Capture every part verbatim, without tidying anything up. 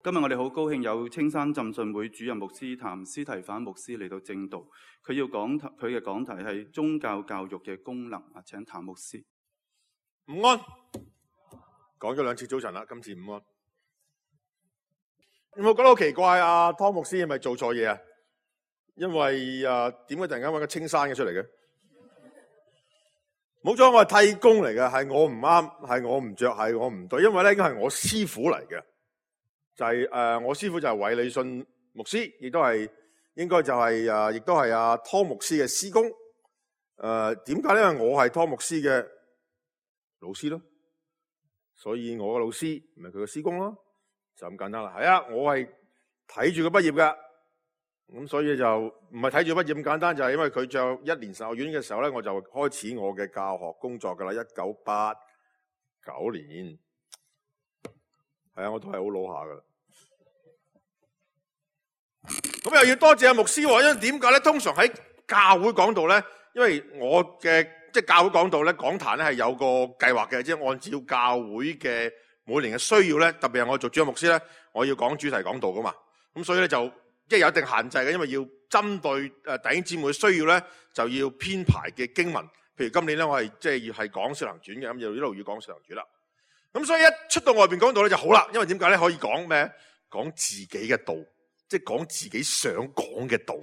今日我哋好高興有青山浸信會主任牧師譚司提反牧師嚟到正道，佢要講佢嘅講題係宗教教育嘅功能啊，請譚牧師。午安，講咗兩次早晨啦，今次午安。有冇覺得好奇怪啊？湯牧師係咪做錯嘢啊？因為啊，點解突然間搵個青山嘅出嚟嘅？冇錯，我係替工嚟嘅，係我唔啱，係我唔着，係我唔對，因為咧應該係我師傅嚟嘅。就係、是、誒、呃，我師傅就係韋禮信牧師，亦都係應該就係、是、誒，亦都係阿湯牧師嘅師公。誒、呃，點解咧？因為我係湯牧師嘅老師咯，所以我嘅老師咪佢嘅師公咯，就咁簡單啦。係啊，我係睇住佢畢業噶，咁所以就唔係睇住畢業咁簡單，就係、是、因為佢就一年神學院嘅時候咧，我就開始我嘅教學工作噶啦，一九八九年。係啊，我都係好老下噶啦。咁又要多謝阿牧師，因為點解咧？通常喺教會講道咧，因為我嘅即係教會講道咧，講壇咧係有個計劃嘅，即係按照教會嘅每年嘅需要咧，特別係我做主任牧師咧，我要講主題講道噶嘛。咁所以咧就即係有一定限制嘅，因為要針對誒弟兄姊妹嘅需要咧，就要編排嘅經文。譬如今年咧，我係即係要係講《使徒行傳》嘅，咁就一路要講《使徒行傳》啦。咁所以一出到外邊講道咧就好啦，因為點解咧？可以講咩？講自己嘅道。即係講自己想講嘅道，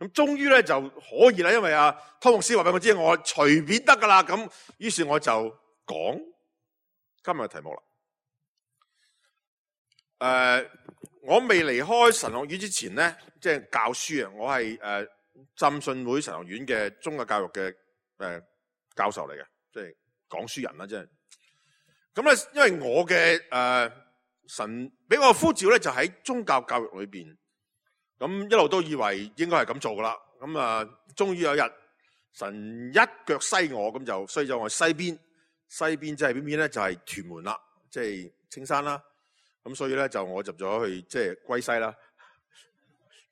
咁終於咧就可以啦。因為阿湯牧師話俾我知，我隨便得噶啦。咁於是我就講今日嘅題目啦。誒、呃，我未離開神學院之前咧，即係教書啊。我係誒浸信會神學院嘅宗教教育嘅誒、呃、教授嚟嘅，即係講書人啦，即係。咁咧，因為我嘅誒、呃、神俾我呼召咧，就喺宗教教育裏邊。咁一路都以為應該係咁做噶啦，咁啊，終於有一日神一腳西我，咁就西咗我西邊，西邊即係邊邊咧？就係屯門啦，即係青山啦。咁所以咧就我入咗去即係歸西啦，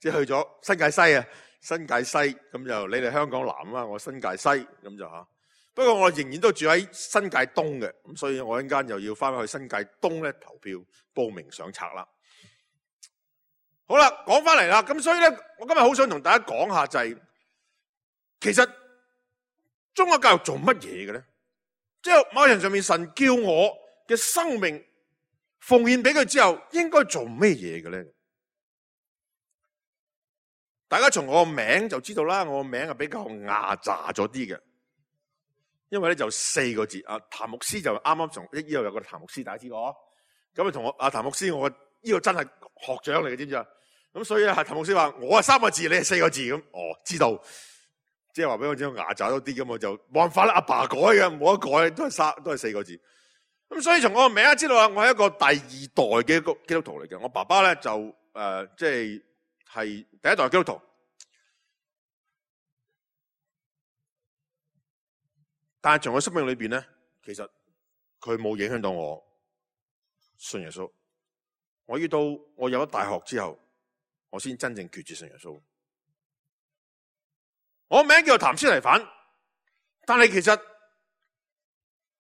即係去咗新界西啊，新界西咁就你哋香港南啦，我新界西咁就吓。不過我仍然都住喺新界東嘅，咁所以我一陣間又要翻去新界東咧投票報名上冊啦。好啦，講翻嚟啦，咁所以咧，我今日好想同大家講下就係、是，其實宗教教育做乜嘢嘅咧？即係某人上面神叫我嘅生命奉獻俾佢之後，應該做咩嘢嘅咧？大家從我個名就知道啦，我個名係比較牙雜咗啲嘅，因為咧就四個字，啊譚牧師就啱啱從呢度有個譚牧師，大家知道，咁啊同我阿譚牧師，我呢個真係學長嚟嘅，知唔知啊？咁所以咧，係譚牧師話我係三個字，你係四個字咁。哦，知道，即係話俾我知道牙爪多啲咁，我就冇辦法啦。阿爸改嘅，冇得改，都係三，都係四個字。咁所以從我個名知道啊，我係一個第二代嘅一個基督徒嚟嘅。我爸爸咧就誒，即係係第一代基督徒，但係從我生命裏邊咧，其實佢冇影響到我信耶穌。我要到我入咗大學之後，我先真正決志信耶穌。我名叫做譚司提反，但係其實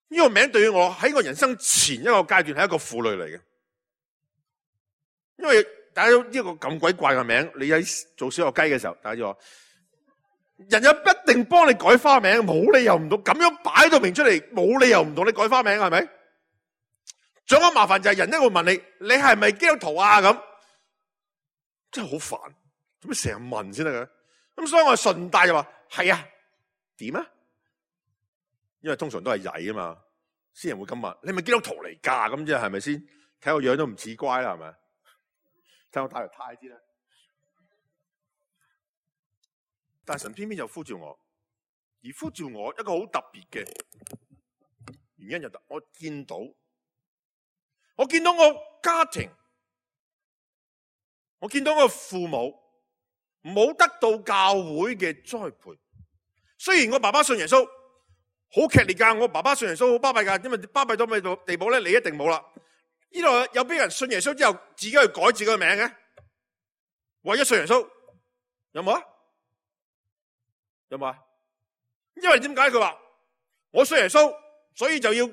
呢個名對於我喺我人生前一個階段係一個負累嚟嘅，因為大家都呢個咁鬼怪嘅名，你喺做小學雞嘅時候，大家就話人又一定幫你改花名，冇理由唔到咁樣擺到明出嚟，冇理由唔同你改花名，係咪？仲有麻煩就係人一會問你，你係咪基督徒啊？咁真係好煩，做咩成日問先得嘅？咁所以我順帶就話係啊，點啊？因為通常都係曳啊嘛，先人會咁問，你係咪基督徒嚟噶？咁即係係咪先？睇我樣都唔似乖啦，係咪？睇我戴條呔啲啦。但神偏偏就呼召我，而呼召我一個好特別嘅原因就係我見到。我見到我家庭，我見到我父母冇得到教會嘅栽培。雖然我爸爸信耶穌，好劇烈噶，我爸爸信耶穌好巴閉噶，因為巴閉到咩地步咧？你一定冇啦。呢度有邊人信耶穌之後自己去改自己嘅名嘅？為咗信耶穌，有冇啊？有冇啊？因為點解佢話我信耶穌，所以就要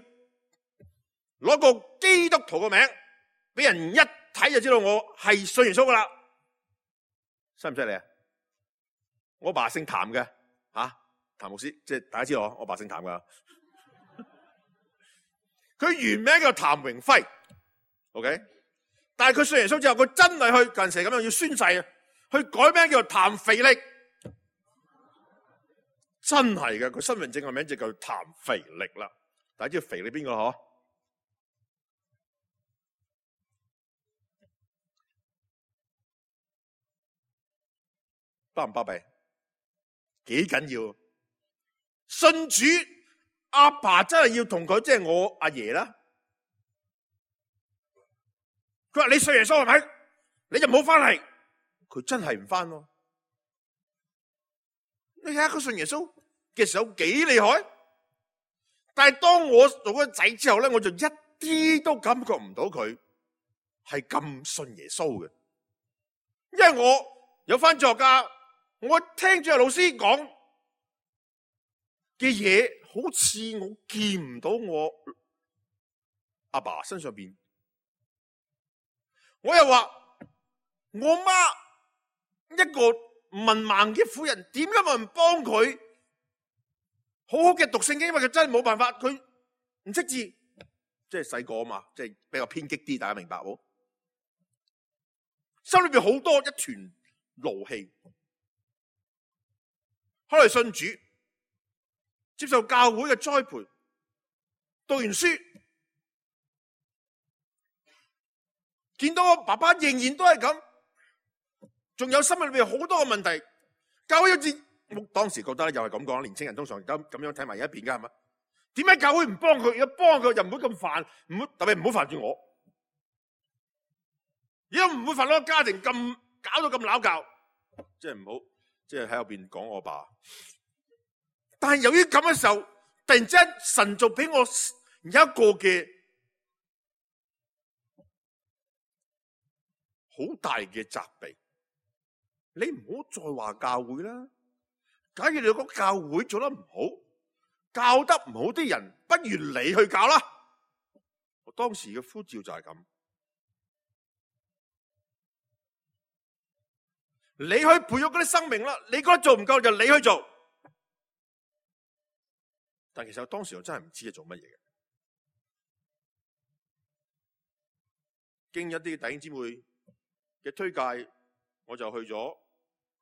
攞個基督徒嘅名，俾人一睇就知道我係信耶穌噶啦，犀唔犀利啊？我爸姓譚嘅，吓、啊、譚牧師，即係大家知道我爸姓譚噶。佢原名叫譚榮輝 ，OK， 但係佢信耶穌之後，佢真係去近時咁樣要宣誓啊，去改名叫做譚肥力，真係嘅，佢身份證嘅名就叫譚肥力啦。大家知道肥力邊個嗬？巴唔巴閉？幾緊要？信主阿爸真係要同佢，即係我阿爺啦。佢話你信耶穌係咪？你就唔好翻嚟。佢真係唔翻喎。你睇下佢信耶穌嘅時候幾厲害。但係當我做咗仔之後咧，我就一啲都感覺唔到佢係咁信耶穌嘅。因為我有翻作家，我聽住老師講嘅嘢，好似我見唔到我阿爸身上邊。我又話我媽一個文盲嘅婦人，點解冇人幫佢好好嘅讀聖經？因為佢真係冇辦法，佢唔識字，即係細個啊嘛，即係比較偏激啲，大家明白冇？心裏邊好多一團怒氣。後來信主，接受教會嘅栽培，讀完書，見到我爸爸仍然都係咁，仲有心裏邊好多嘅問題。教會好似我當時覺得咧，又係咁講，年青人通常咁咁樣睇埋一邊噶係嘛？點解教會唔幫佢？如果幫佢，又唔會咁煩，唔好特別唔好煩住我。如果唔會煩到個家庭咁搞到咁鬧交，即係唔好，即係喺後邊講我爸。但係由於咁嘅時候，突然之間神就俾我有一個嘅好大嘅責備。你唔好再話教會啦。假如你講教會做得唔好，教得唔好啲人，不如你去教啦。我當時嘅呼召就係咁。你去培育嗰啲生命啦，你覺得做唔夠就你去做。但其實我當時我真係唔知係做乜嘢嘅。經一啲弟兄姊妹嘅推介，我就去咗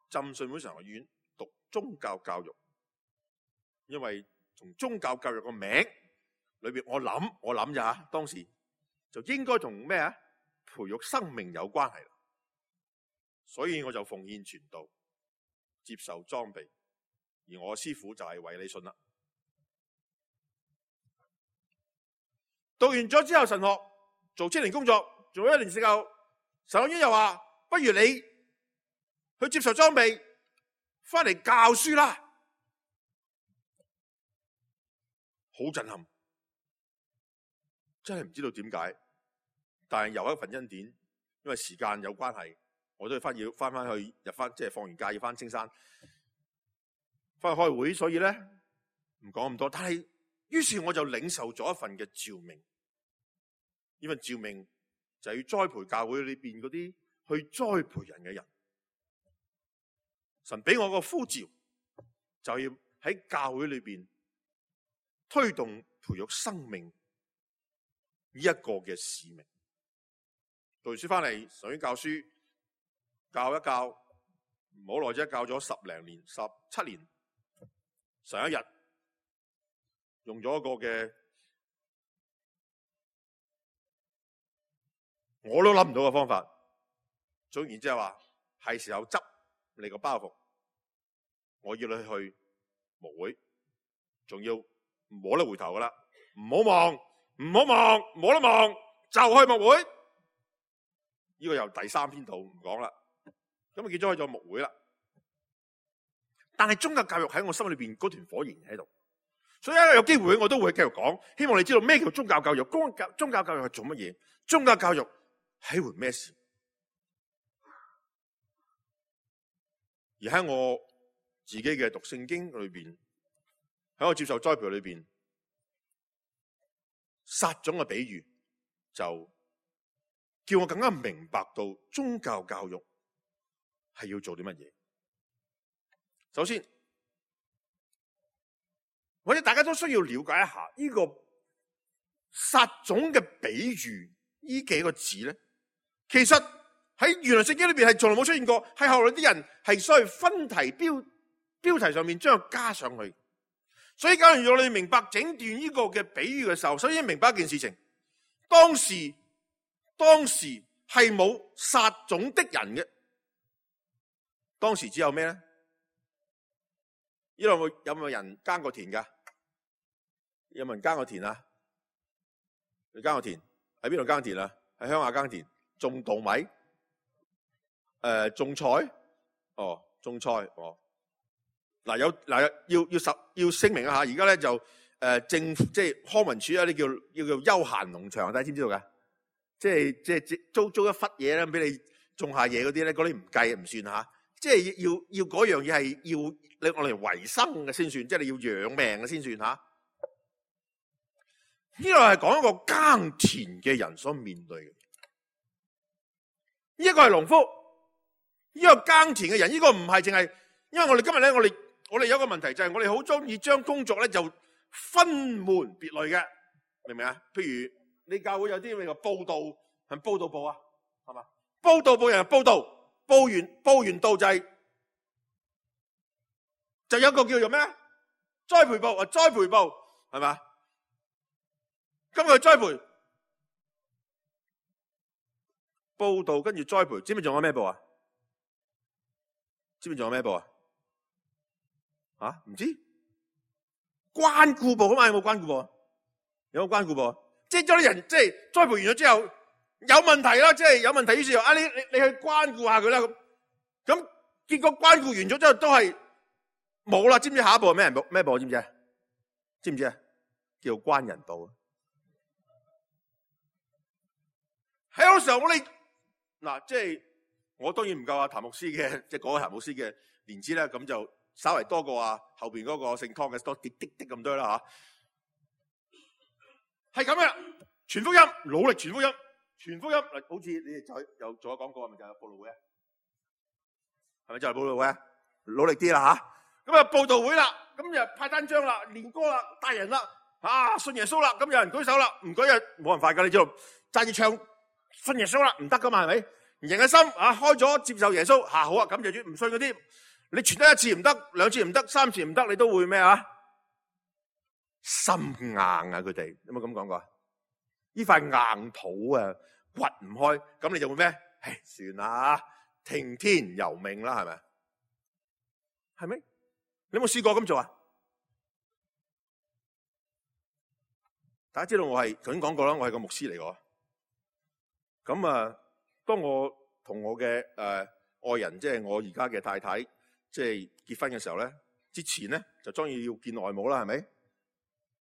浸信會神學院讀宗教教育。因為從宗教教育個名裏邊，我諗我諗咋，當時就應該同咩啊培育生命有關係啦。所以我就奉獻傳道，接受裝備，而我師父就係韋理信啦。讀完咗之後，神學做青年工作，做咗一年之後，神學院又話：不如你去接受裝備，翻嚟教書啦。好震撼，真係唔知道點解，但係有一份恩典，因為時間有關係，我都要翻要翻翻去入翻，即係放完假要翻青山，翻去開會，所以咧唔講咁多。但係於是我就領受咗一份嘅召命，呢份召命就係要栽培教會裏邊嗰啲去栽培人嘅人。神俾我個呼召，就要喺教會裏邊推動培育生命呢一個嘅使命。讀完書翻嚟，上院教書，教一教，唔好耐啫，教咗十零年、十七年。上一日用咗一個嘅，我都諗唔到嘅方法。總言之係話，係時候執你個包袱，我要你去牧會，仲要冇得回頭噶啦，唔好望，唔好望，冇得望，就去牧會。呢個又第三篇道唔講啦。咁啊，結咗去咗牧會啦。但係宗教教育喺我心裏邊嗰團火燃喺度，所以有機會我都會繼續講。希望你知道咩叫宗教教育？宗教宗教教育係做乜嘢？宗教教育係回咩事？而喺我自己嘅讀聖經裏邊，喺我接受栽培裏邊，撒種嘅比喻就叫我更加明白到宗教教育係要做啲乜嘢。首先，或者大家都需要了解一下呢個撒種嘅比喻呢幾個字咧，其實喺原來聖經裏邊係從來冇出現過，係後來啲人係所謂分題標標題上面將佢加上去。所以假如我哋明白整段呢個嘅比喻嘅時候，首先明白一件事情，當時當時係冇撒種的人嘅，當時只有咩咧？呢度有冇有冇人耕過田噶？有冇人耕過田啊？你耕過田喺邊度耕田啊？喺鄉下耕田，種稻米，誒、呃，種菜，哦，種菜，哦。嗱有嗱要要實要聲明一下，而家咧就誒、呃、政府即係康文署有啲叫要叫休閒農場，大家知唔知道噶？即係即係租租一忽嘢咧，俾你種下嘢嗰啲咧，嗰啲唔計唔算吓。即係要要嗰樣嘢係要你我嚟維生嘅先算，即係你要養命嘅先算吓。呢個係講一個耕田嘅人所面對嘅，呢一個係農夫，呢個耕田嘅人，呢個唔係淨係，因為我哋今日咧，我哋。我哋有一個問題就係我哋好中意將工作咧就分門別類嘅，明唔明啊？譬如你教會有啲咩個報道，係報道部啊，係嘛？報道部人報道，報完報完道就係、是、就有一個叫做咩？栽培部啊，栽培部係嘛？今日栽培報道跟住栽培，知唔知仲有咩部啊？知唔知仲有咩部啊？啊，唔知關顧部啊嘛？有冇關顧部？有冇關顧部？即係將啲人即係栽培完咗之後有問題啦，即係有問題，於是啊，你你你去關顧下佢啦。咁咁結果關顧完咗之後都係冇啦。知唔知下一步係咩人部？咩部？知唔知啊？知唔知啊？叫關人部。喺嗰個時候我哋嗱，即係我當然唔夠阿譚牧師嘅，即係嗰個譚牧師嘅年資咧，咁就。稍微多過啊後邊嗰個姓湯嘅多啲啲啲咁多啦吓，係咁嘅，傳福音，努力傳福音，傳福音。好似你哋就又做咗廣告，係咪就係佈道會啊？係咪就係佈道會啊？努力啲啦吓，咁啊佈道會啦，咁又派單張啦，練歌啦，帶人啦，啊信耶穌啦，咁有人舉手啦，唔舉啊冇人快噶，你知道揸住唱信耶穌啦，唔得噶嘛係咪？人嘅心啊開咗接受耶穌，吓、啊、好啊，咁就住唔信嗰啲。你傳得一次唔得，兩次唔得，三次唔得，你都會咩啊？心硬啊！佢哋有冇咁講過？呢塊硬土啊，掘唔開，咁你就會咩？唉，算啦，聽天由命啦，係咪？係咪？你有冇試過咁做啊？大家知道我係頭先講過啦，我係個牧師嚟嘅。咁啊，當我同我嘅誒、呃、愛人，即係我而家嘅太太。即係結婚嘅時候咧，之前咧就當然要見外母啦，係咪？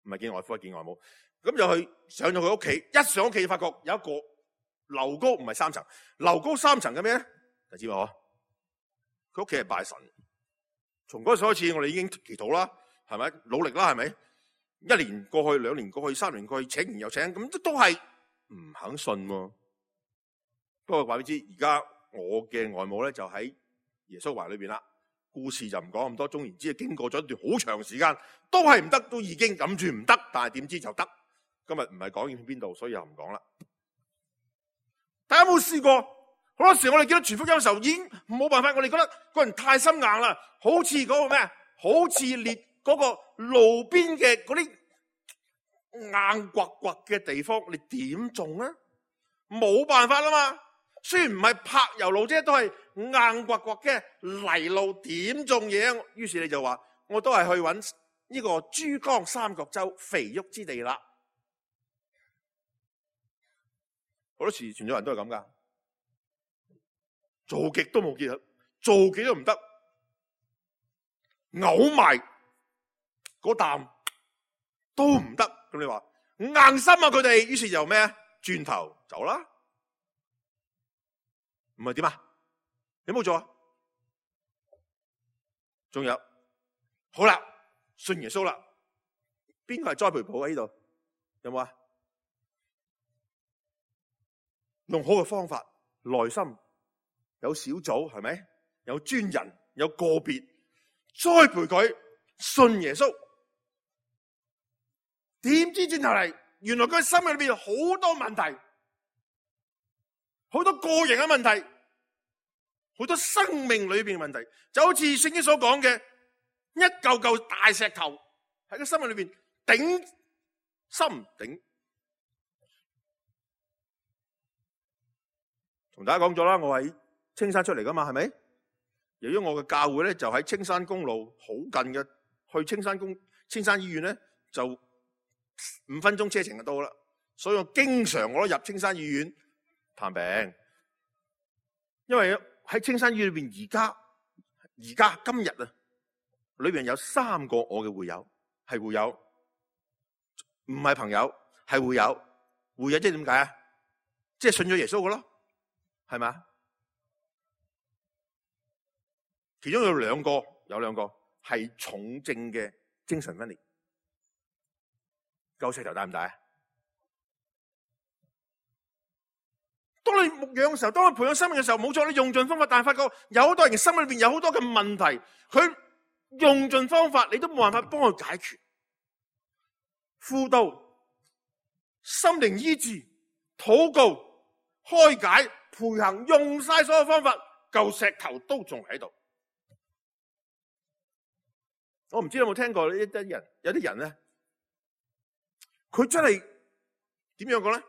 唔係見外父，係見外母。咁就去上咗佢屋企，一上屋企發覺有一個樓高唔係三層，樓高三層嘅咩咧？就知嘛？佢屋企係拜神。從嗰時開始，我哋已經祈禱啦，係咪？努力啦，係咪？一年過去，兩年過去，三年過去，請完又請，咁都都係唔肯信喎。不過話俾你知，而家我嘅外母咧就喺耶穌懷裏邊啦。故事就唔講咁多，總言之，經過咗一段好長時間，都係唔得，都已經諗住唔得，但係點知就得。今日唔係講去邊度，所以又唔講啦。大家有冇試過？好多時我哋見到傳福音嘅時候，已經冇辦法，我哋覺得個人太心硬啦，好似嗰個咩，好似列嗰個路邊嘅嗰啲硬刮刮嘅地方，你點種啊？冇辦法啦嘛。雖然唔係柏油路啫，都係硬刮刮嘅泥路，點種嘢？於是你就話，我都係去揾呢個珠江三角洲肥沃之地啦。好多時傳咗人都係咁噶，做極都冇結合，做極都唔得，嘔埋嗰啖都唔得。咁你話硬心啊佢哋，於是就咩？轉頭走啦。唔係點啊？有冇做啊？仲有，好啦，信耶穌啦。邊個係栽培部喺呢度？有冇啊？用好嘅方法，內心有小組係咪？有專人，有個別栽培佢信耶穌。點知轉頭嚟，原來佢心裏邊好多問題，好多個人嘅問題，好多生命裏邊嘅問題，就好似聖經所講嘅一嚿嚿大石頭喺個心裏邊頂心頂。同大家講咗啦，我喺青山出嚟噶嘛，係咪？由於我嘅教會咧就喺青山公路好近嘅，去青山公青山醫院咧就五分鐘車程就到啦，所以我經常我都入青山醫院探病，因為喺青山醫院裏邊而家而家今日啊，裏邊有三個我嘅會友係會友，唔係朋友係會友，會友即係點解啊？即係信咗耶穌嘅咯。係咪？其中有兩個，有兩個係重症嘅精神分裂，嚿石頭大唔大啊？當你牧養嘅時候，當你培養生命嘅時候，冇錯，你用盡方法，但係發覺有好多人嘅心裏邊有好多嘅問題，佢用盡方法，你都冇辦法幫佢解決。輔導、心靈醫治、禱告、開解、培行，用晒所有方法，嚿石頭都仲喺度。我唔知道有冇聽過呢一啲人，有啲人咧，佢真係點樣講咧？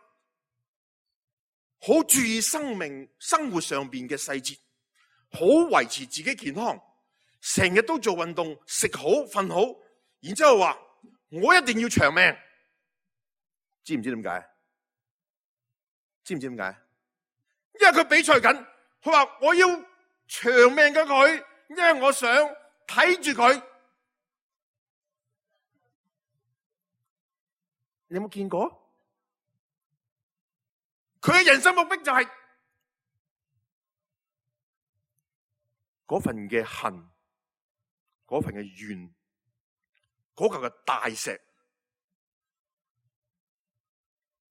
好注意生命生活上邊嘅細節，好維持自己健康，成日都做運動，食好瞓好，然之後話我一定要長命，知唔知點解？知唔知點解？因為佢比賽緊，佢話我要長命嘅佢，因為我想睇住佢。你有冇見過？佢嘅人生目標就係嗰份嘅恨，嗰份嘅怨，嗰嚿嘅大石。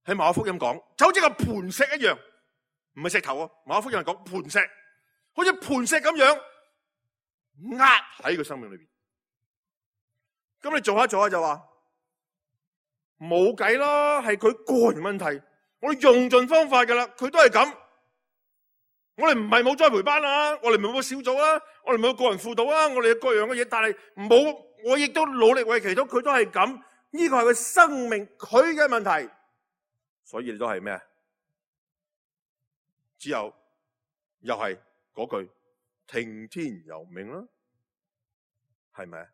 喺馬可福音講，就好似個磐石一樣。唔係石頭啊！馬可福音講磐石，好似磐石咁樣壓喺個生命裏邊。咁你做下做下就話冇計啦，係佢個人問題。我哋用盡方法噶啦，佢都係咁。我哋唔係冇栽培班啊，我哋唔係冇小組啊，我哋唔係冇個人輔導啊，我哋有各樣嘅嘢，但係冇，我亦都努力為祈禱，佢都係咁。呢個係佢生命佢嘅問題，所以你都係咩？只有又係嗰句聽天由命啦，係咪？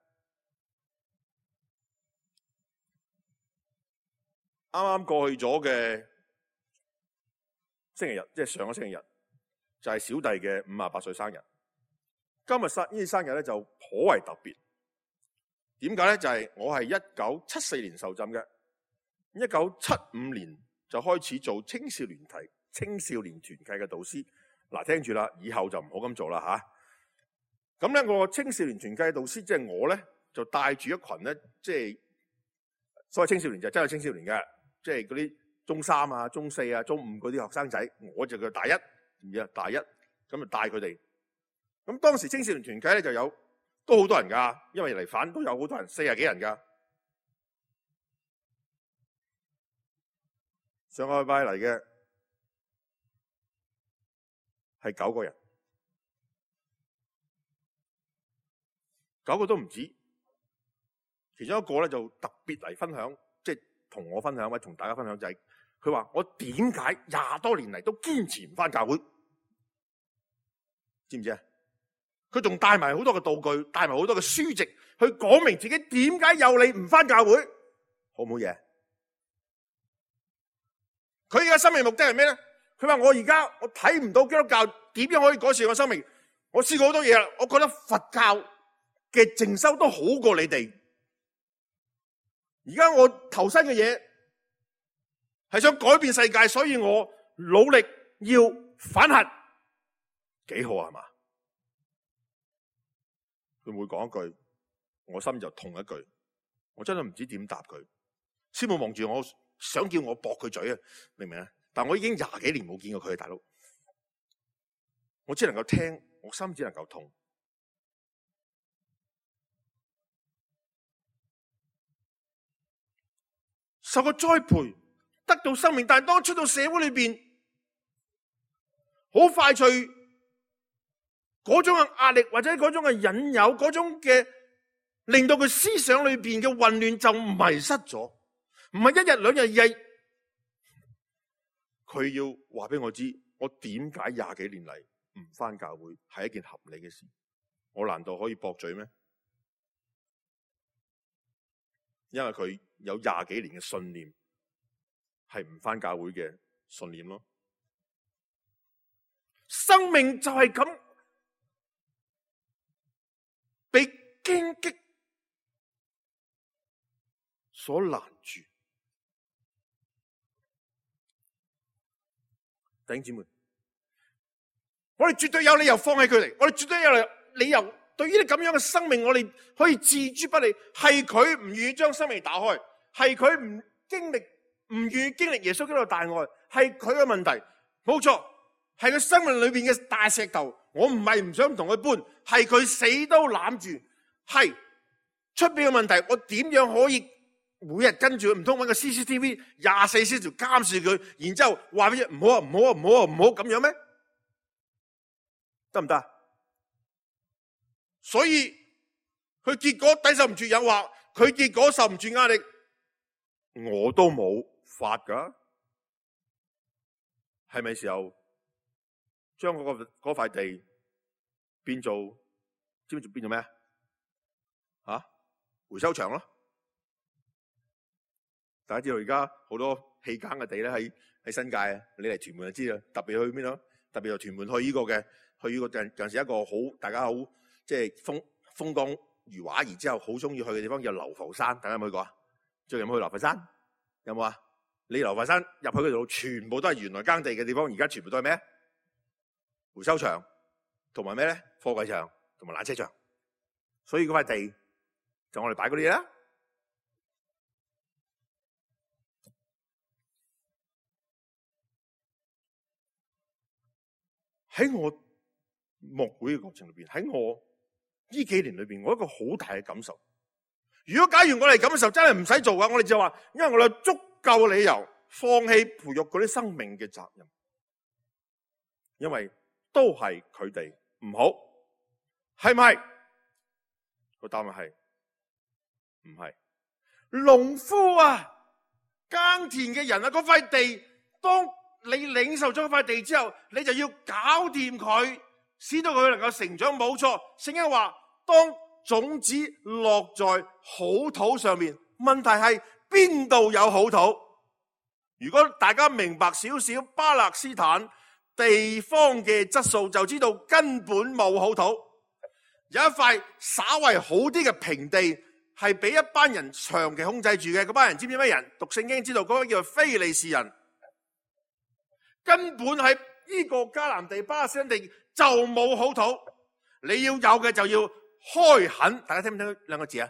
啱啱過去咗嘅星期日，即係上個星期日，就係小弟嘅五十八歲生日。今日生呢啲生日咧就頗為特別。點解咧？就係我係一九七四年受浸嘅，一九七五年就開始做青少年團青少年團契嘅導師。嗱，聽住啦，以後就唔好咁做啦吓。咁咧，我青少年團契嘅導師，即係我咧，就帶住一群咧，即係所謂青少年就真係青少年嘅，即係嗰啲中三啊、中四啊、中五嗰啲學生仔，我就叫大一，唔知啊，大一咁就帶佢哋。咁當時青少年團契咧就有都好多人噶，因為嚟反都有好多人，四十幾人噶。上個禮拜嚟嘅係九個人，九個都唔止。其中一個咧就特別嚟分享，即係同我分享，或者同大家分享就係，佢話我點解廿多年嚟都堅持唔返教會？知唔知啊？佢仲帶埋好多嘅道具，帶埋好多嘅書籍，去講明自己點解有你唔返教會，好唔好嘢？佢而家生命目的係咩咧？佢話我而家我睇唔到基督教點樣可以改善我生命。我試過好多嘢啦，我覺得佛教嘅靜修都好過你哋。而家我投身嘅嘢係想改變世界，所以我努力要反核，幾好啊？係嘛？佢每講一句，我心就痛一句，我真係唔知點答佢。師母望住我，想叫我駁佢嘴啊，明唔明啊？但我已經廿幾年冇見過佢，大佬，我只能夠聽，我心只能夠痛。受過栽培，得到生命，但係當出到社會裏邊，好快脆嗰種嘅壓力或者嗰種嘅引誘，嗰種嘅令到佢思想裏邊嘅混亂就迷失咗，唔係一日兩日，而係佢要話俾我知，我點解廿幾年嚟唔返教會係一件合理嘅事？我難道可以駁嘴咩？因為佢有廿幾年嘅信念係唔返教會嘅信念咯。生命就係咁被荊棘所攔住。弟兄姊妹，我哋絕對有理由放棄佢哋，我哋絕對有理由對於呢咁樣嘅生命，我哋可以置諸不理。係佢唔願意將生命打開，係佢唔經歷，唔願意經歷耶穌基督嘅大愛，係佢嘅問題，冇錯，係佢生命裏邊嘅大石頭。我唔係唔想同佢搬，係佢死都攬住。係出邊嘅問題，我點樣可以每日跟住佢？唔通搵個 C C T V 廿四小時監視佢，然之後話俾佢唔好啊，唔好啊，唔好啊，唔好咁樣咩？得唔得？所以佢結果抵受唔住誘惑，佢結果受唔住壓力，我都冇法噶。係咪時候將嗰個嗰塊地變做，知唔知變做咩啊？吓，回收場咯。大家知道而家好多棄耕嘅地咧，喺喺新界啊，你嚟屯門就知啦。特別去邊度？特別由屯門去呢個嘅，去呢個近近時一個好大家好即係風風光如畫，然之後好中意去嘅地方叫流浮山。大家有冇去過啊？最近有冇去流浮山？有冇啊？你流浮山入去嗰度，全部都係原來耕地嘅地方，而家全部都係咩？回收場同埋咩咧？貨櫃場同埋纜車場。所以嗰塊地就我哋擺嗰啲嘢啦。喺我牧會嘅過程裏邊，喺我呢幾年裏邊，我有一個好大嘅感受。如果假如我哋咁嘅時候真係唔使做嘅，我哋就話，因為我哋有足夠理由放棄培育嗰啲生命嘅責任，因為都係佢哋唔好，係唔係？個答案係唔係？農夫啊，耕田嘅人啊，嗰塊地當。你領受咗塊地之後，你就要搞掂佢，使到佢能夠成長。冇錯，聖經話，當種子落在好土上面，問題係邊度有好土？如果大家明白少少巴勒斯坦地方嘅質素，就知道根本冇好土。有一塊稍為好啲嘅平地，係俾一班人長期控制住嘅。嗰班人知唔知咩人？讀聖經知道嗰個叫做非利士人。根本喺呢個迦南地、巴勒斯坦地就冇好土，你要有嘅就要開墾。大家聽唔聽兩個字啊？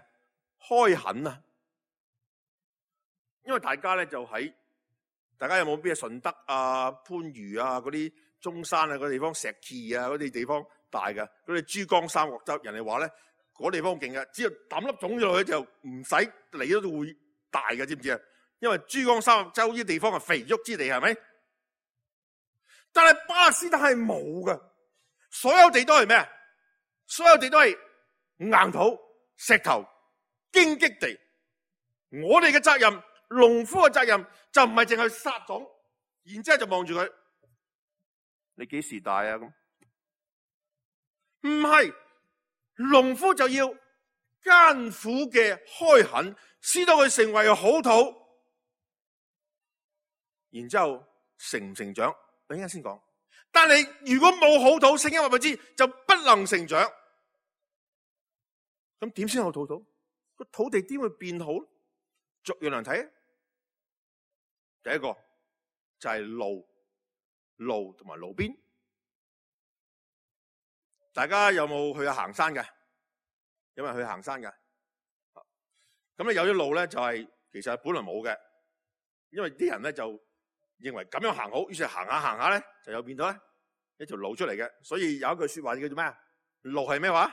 開墾啊！因為大家咧就喺，大家有冇邊啊？順德啊、番禺啊、嗰啲中山啊嗰啲地方、石岐啊嗰啲地方大嘅，嗰啲珠江三角洲，人哋話咧嗰地方勁嘅，只要抌粒種子落去就唔使理都會大嘅，知唔知啊？因為珠江三角洲呢啲地方係肥沃之地，係咪？但係巴勒斯坦係冇嘅，所有地都係咩？所有地都係硬土、石頭、荊棘地。我哋嘅責任，農夫嘅責任就唔係淨係撒種，然之後就望住佢，你幾時大啊？咁唔係，農夫就要艱苦嘅開墾，使到佢成為好土，然之後成唔成長？等陣先講，但係如果冇好土，聖經話俾知就不能成長。咁點先有好土？個土地點會變好？逐樣嚟睇。第一個就係路，路同埋路邊。大家有冇去行山嘅？有冇人去行山嘅？咁咧有啲路咧就係、是、其實本來冇嘅，因為啲人咧就。認為咁樣行好，於是行下行下咧，就有變到咧一條路出嚟嘅。所以有一句說話叫做咩啊？路係咩話？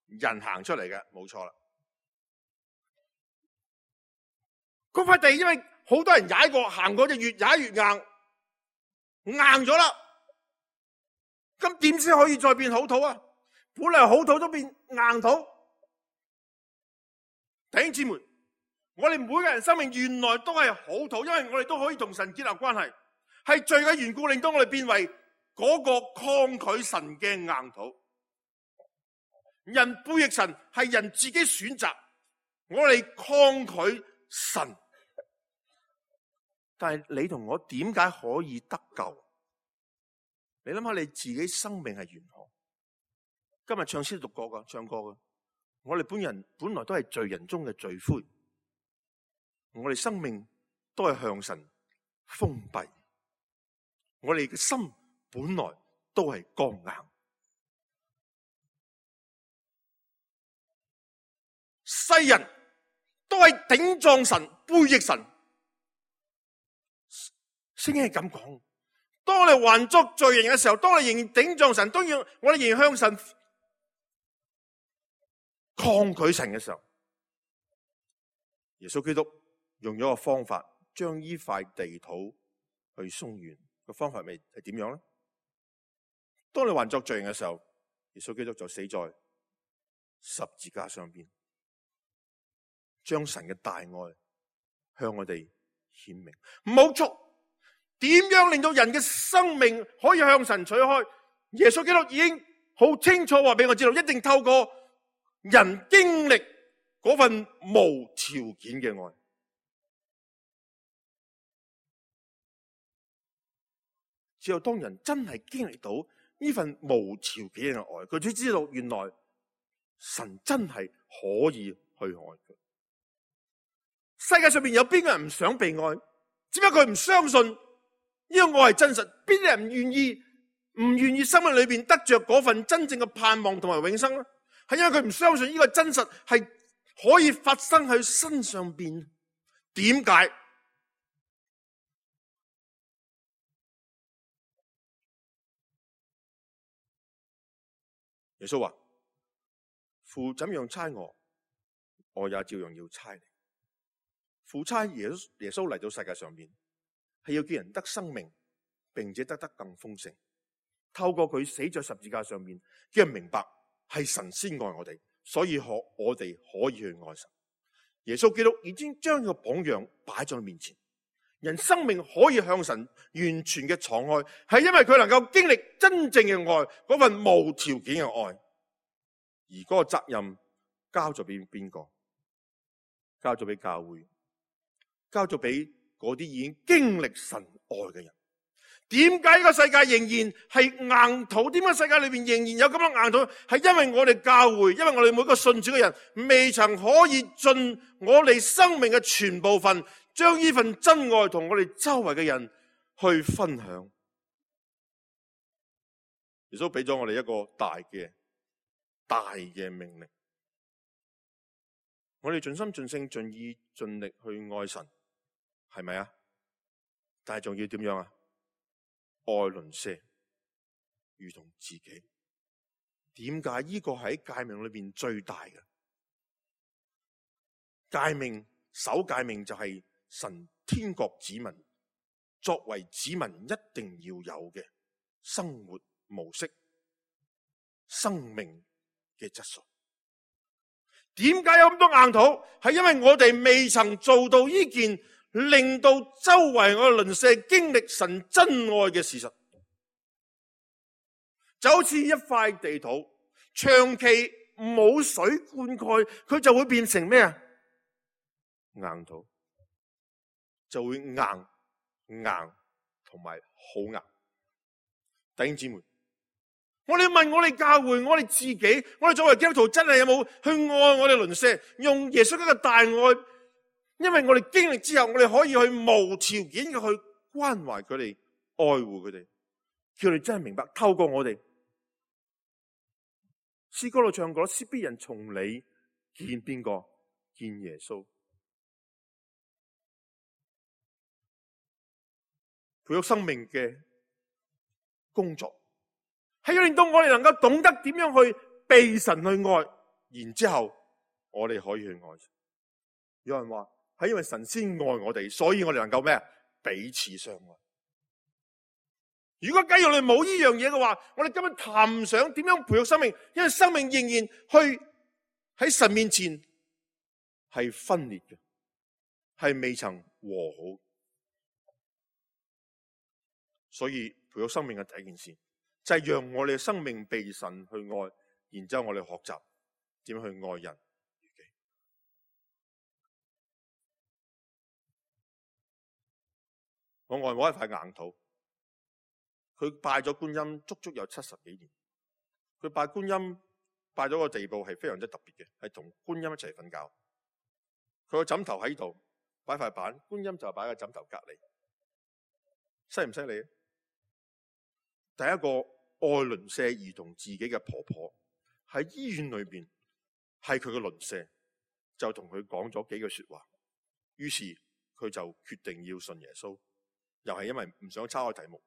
人行出嚟嘅，冇錯啦。嗰塊地因為好多人踩過，行過就越踩越硬，硬咗啦。咁點先可以再變好土啊？本嚟好土都變硬土。弟兄姊妹，我哋每個人生命原來都係好土，因為我哋都可以同神建立關係，係罪嘅緣故令到我哋變為嗰個抗拒神嘅硬土。人背逆神係人自己選擇，我哋抗拒神。但係你同我點解可以得救？你諗下你自己生命係如何？今日唱詩讀過噶，唱歌噶。我哋本人本來都係罪人中嘅罪魁，我哋生命都係向神封閉，我哋嘅心本來都係剛硬。世人都係頂撞神、背逆神。聖經係咁講，當我哋還作罪人嘅時候，當我哋仍然頂撞神，當然我哋仍然向神抗拒神嘅時候，耶穌基督用咗個方法，將呢塊地土去鬆軟。個方法係係點樣咧？當你還作罪人嘅時候，耶穌基督就死在十字架上邊，將神嘅大愛向我哋顯明。冇錯，點樣令到人嘅生命可以向神取開？耶穌基督已經好清楚話俾我知道，一定透過人經歷嗰份無條件嘅愛。只有當人真係經歷到呢份無條件嘅愛，佢才知道原來神真係可以去愛佢。世界上面有邊個人唔想被愛？只不過佢唔相信呢個愛係真實。邊啲人唔願意唔願意生命裏邊得着嗰份真正嘅盼望同埋永生咧？係因為佢唔相信呢個真實係可以發生喺身上邊。點解？耶穌話：父怎樣差我，我也照樣要差你。父差耶穌耶穌嚟到世界上邊，係要叫人得生命，並且得得更豐盛。透過佢死在十字架上面，叫人明白係神先愛我哋，所以可我哋可以去愛神。耶穌基督已經將個榜樣擺在面前，人生命可以向神完全嘅敞開，係因為佢能夠經歷真正嘅愛，嗰份無條件嘅愛。而嗰個責任交咗俾邊個？交咗俾教會，交咗俾嗰啲已經經歷神愛嘅人。點解呢個世界仍然係硬土？點解世界裏邊仍然有咁樣硬土？係因為我哋教會，因為我哋每個信主嘅人未曾可以盡我哋生命嘅全部份，將呢份真愛同我哋周圍嘅人去分享。耶穌俾咗我哋一個大嘅大嘅命令，我哋盡心盡性盡意盡力去愛神，係咪啊？但係仲要點樣啊？愛鄰舍如同自己。點解呢個喺誡命裏邊最大嘅誡命？首誡命就係神天國子民作為子民一定要有嘅生活模式、生命嘅質素。點解有咁多硬土？係因為我哋未曾做到呢件令到周圍我嘅鄰舍經歷神真愛嘅事實。就好似一塊地土，長期冇水灌溉，佢就會變成咩啊？硬土，就會硬硬同埋好硬。弟兄姊妹，我哋問我哋教會，我哋自己，我哋作為基督徒，真係有冇去愛我哋鄰舍，用耶穌基督嘅大愛？因為我哋經歷之後，我哋可以去無條件嘅去關懷佢哋，愛護佢哋，叫佢哋真係明白。透過我哋詩歌度唱過，使別人從你見邊個？見耶穌。培育生命嘅工作，係要令到我哋能夠懂得點樣去被神去愛，然之後我哋可以去愛。有人話係因為神先愛我哋，所以我哋能夠咩？彼此相愛。如果假如我哋冇呢樣嘢嘅話，我哋根本談唔上點樣培育生命，因為生命仍然去喺神面前係分裂嘅，係未曾和好。所以培育生命嘅第一件事就係讓我哋嘅生命被神去愛，然之後我哋學習點樣去愛人。我外母係塊硬土，佢拜咗觀音足足有七十幾年。佢拜觀音拜咗個地步係非常之特別嘅，係同觀音一齊瞓覺。佢個枕頭喺度擺塊板，觀音就擺喺個枕頭隔籬，犀唔犀利？第一個愛鄰舍如同自己嘅婆婆，喺醫院裏邊係佢嘅鄰舍，就同佢講咗幾句說話，於是佢就決定要信耶穌。又係因為唔想抄個題目，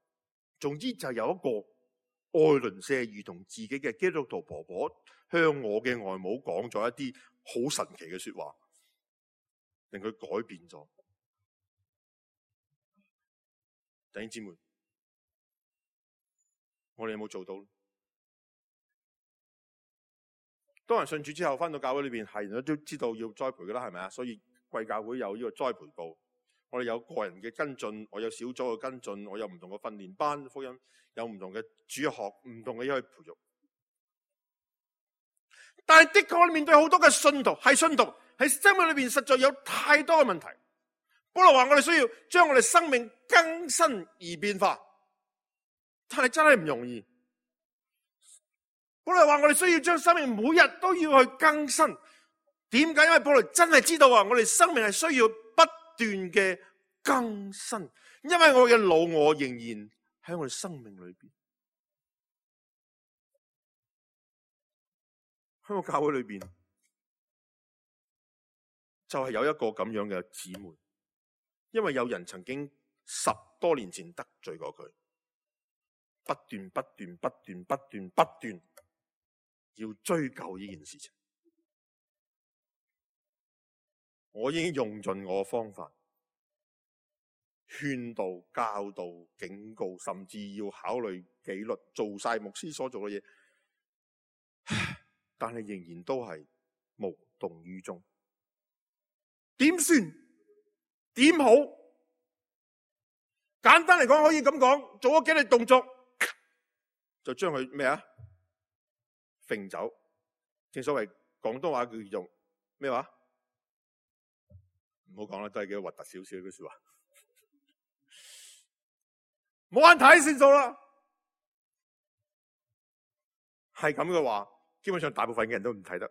總之就有一個愛鄰舍如同自己嘅基督徒婆婆向我嘅外母講咗一啲好神奇嘅說話，令佢改變咗。弟兄姊妹，我哋有冇做到？當人信主之後翻到教會裏邊，係人都知道要栽培噶啦，係咪啊？所以貴教會有呢個栽培部。我哋有個人嘅跟進，我有小組嘅跟進，我有唔同嘅訓練班，福音有唔同嘅主學，唔同嘅嘢去培育。但係的確我哋面對好多嘅信徒，係信徒喺生命裏邊實在有太多嘅問題。保羅話我哋需要將我哋生命更新而變化，但係真係唔容易。保羅話我哋需要將生命每日都要去更新。點解？因為保羅真係知道啊，我哋生命係需要不斷嘅更新，因為我嘅老我仍然喺我哋生命裏邊。喺個教會裏邊就係有一個咁樣嘅姊妹，因為有人曾經十多年前得罪過佢，不斷不斷不斷不斷不斷要追究呢件事情。我已經用盡我嘅方法，勸導、教導、警告，甚至要考慮紀律，做晒牧師所做嘅嘢，但係仍然都係無動於衷。點算？點好？簡單嚟講，可以咁講，做咗幾類動作，就將佢咩啊？揈走。正所謂廣東話叫做咩話？唔好講啦，都係幾核突少少嘅說話。冇眼睇算數啦。係咁嘅話，基本上大部分嘅人都唔睇得，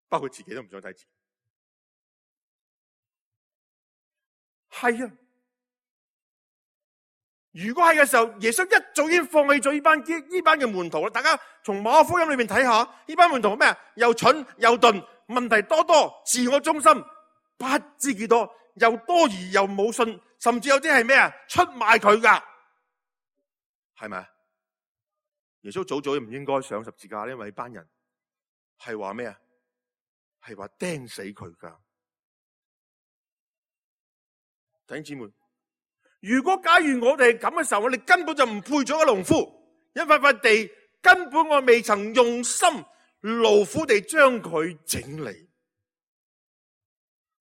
包括自己都唔想睇自己。係啊，如果係嘅時候，耶穌一早已經放棄咗呢班呢班嘅門徒啦。大家從馬可福音裏面睇下，呢班門徒咩啊？又蠢又鈍，問題多多，自我中心，不知幾多，又多疑又冇信，甚至有啲係咩啊？出賣佢噶，係咪？耶穌早早唔應該上十字架，因為呢班人係話咩啊？係話釘死佢噶。弟兄姊妹，如果假如我哋係咁嘅時候，我哋根本就唔配做個農夫，一塊塊地根本我未曾用心勞苦地將佢整理。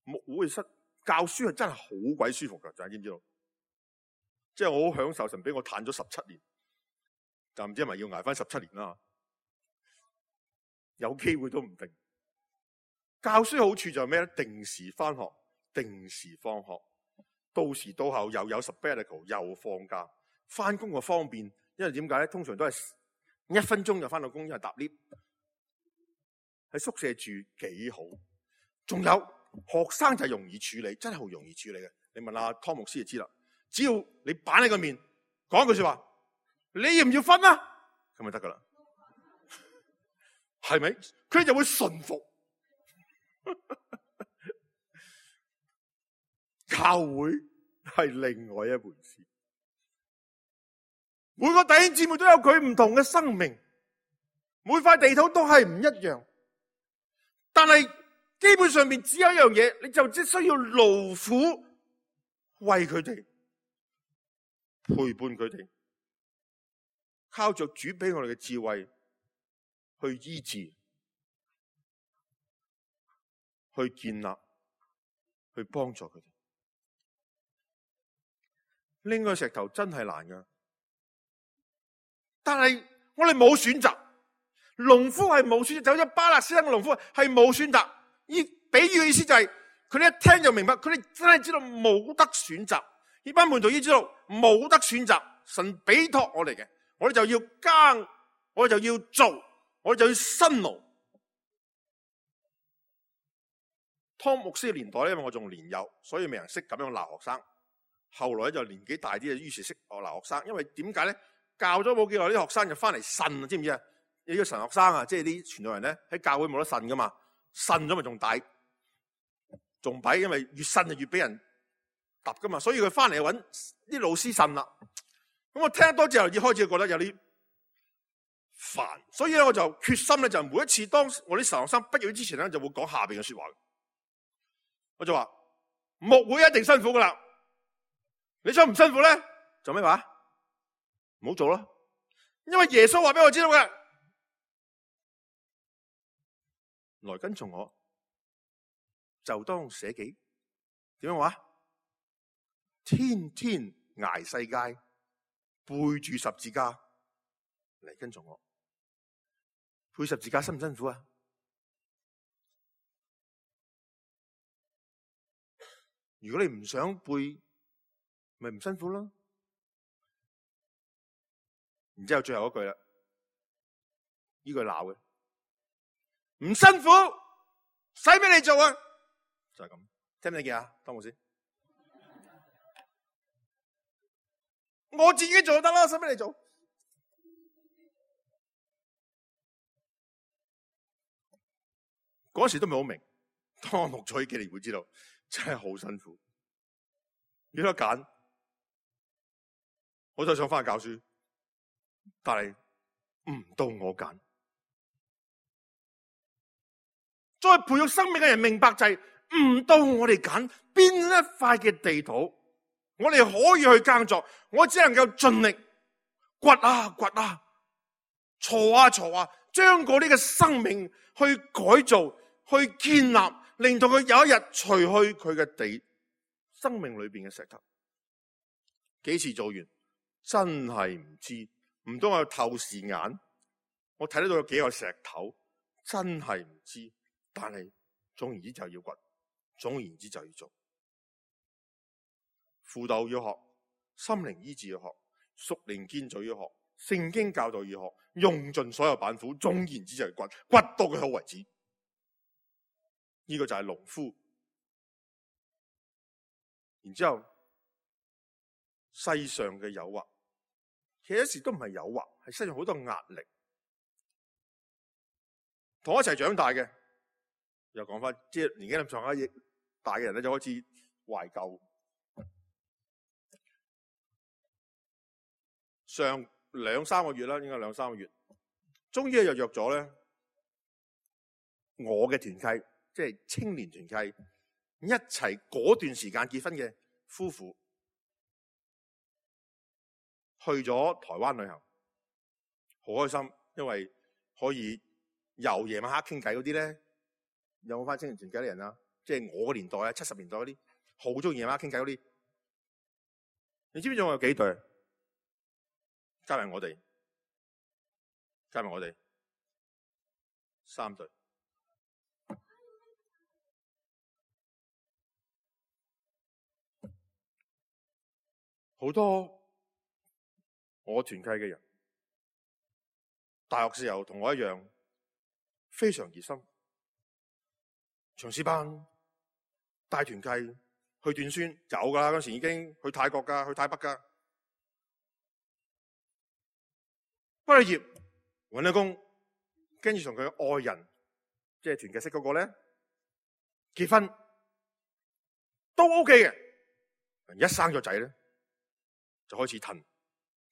牧會室教書係真係好鬼舒服噶，大家知唔知道？即係我好享受，神俾我嘆咗十七年，就唔知係咪要捱翻十七年啦。有機會都唔定。教書好處就係咩咧？定時翻學，定時放學。到時到後又有 sabbatical 又放假，翻工就方便，因為點解咧？通常都係一分鐘就翻到工，因為搭 lift。喺宿舍住幾好，仲有學生就容易處理，真係好容易處理嘅。你問下湯牧師就知啦。只要你板喺個面講一句說話，你要唔要分啊？咁咪得噶啦，係咪？佢就會順服。教會係另外一回事。每個弟兄姊妹都有佢唔同嘅生命，每塊地土都係唔一樣，但係基本上面只有一樣嘢，你就只需要勞苦為佢哋陪伴佢哋，靠着主俾我哋嘅智慧去醫治、去建立、去幫助佢哋。拎個石頭真係難噶，但係我哋冇選擇。農夫係冇選擇，就好似巴勒斯坦嘅農夫係冇選擇。依比喻嘅意思就係佢哋一聽就明白，佢哋真係知道冇得選擇。呢班門徒已經知道冇得選擇，神俾託我哋嘅，我哋就要耕，我哋就要做，我哋就要辛勞。湯牧師嘅年代咧，因為我仲年幼，所以未人識咁樣鬧學生。後來就年紀大啲，於是識學鬧學生。因為點解咧？教咗冇幾耐，啲學生就翻嚟呻，知唔知啊？你個神學生啊，即係啲傳道人咧，喺教會冇得呻噶嘛，呻咗咪仲大，仲弊，因為越呻就越俾人揼噶嘛，所以佢翻嚟揾啲老師呻啦。咁我聽得多之後，已開始覺得有啲煩，所以咧我就決心咧，就每一次當我啲神學生畢業之前咧，就會講下邊嘅說話。我就話牧會一定辛苦噶啦，你想唔辛苦咧？做咩話？唔好做咯，因為耶穌話俾我知道嘅。來跟從我，就當捨己。點樣話？天天捱世界，背住十字架嚟跟從我。背十字架辛唔辛苦啊？如果你唔想背，咪唔辛苦咯。然之後最後一句啦，呢句鬧嘅。唔辛苦，使俾你做啊！就係咁，聽唔聽見啊？湯牧師，我自己做就得啦，使俾你做。嗰時都唔係好明，當我錄咗呢幾年會知道，真係好辛苦。有得揀，我就想翻去教書，但係唔到我揀。再培育生命嘅人明白就係唔到我哋揀邊一塊嘅地土，我哋可以去耕作，我只能夠盡力掘啊掘啊，鋤啊鋤啊，將嗰啲嘅生命去改造、去建立，令到佢有一日除去佢嘅地生命裏邊嘅石頭。幾時做完真係唔知，唔通我有透視眼，我睇得到有幾個石頭，真係唔知。但係總言之就要掘，總言之就要做。輔導要學，心靈醫治要學，屬靈建造要學，聖經教導要學，用盡所有板斧，總言之就係掘，掘到佢好為止。呢、這個就係農夫。然之後世上嘅誘惑，其實有時都唔係誘惑，係世上好多壓力。同我一齊長大嘅。又講翻，即係年紀咁上下大嘅人咧，就開始懷舊。上兩三個月啦，應該兩三個月，終於又約咗咧，我嘅團契，即係青年團契，一齊嗰段時間結婚嘅夫婦，去咗台灣旅行，好開心，因為可以由夜晚黑傾偈嗰啲咧。有冇翻青年團契啲人啊？即係我個年代啊，七十年代嗰啲，好中意夜晚傾偈嗰啲。你知唔知仲有幾對？加埋我哋，加埋我哋，三對。好多我團契嘅人，大學時候同我一樣，非常熱心。長師班帶團契去短宣有噶啦，嗰時已經去泰國噶，去泰北噶。畢咗業搵咗工，跟住同佢愛人，即係團契識嗰個咧結婚都 OK 嘅。一生咗仔咧，就開始褪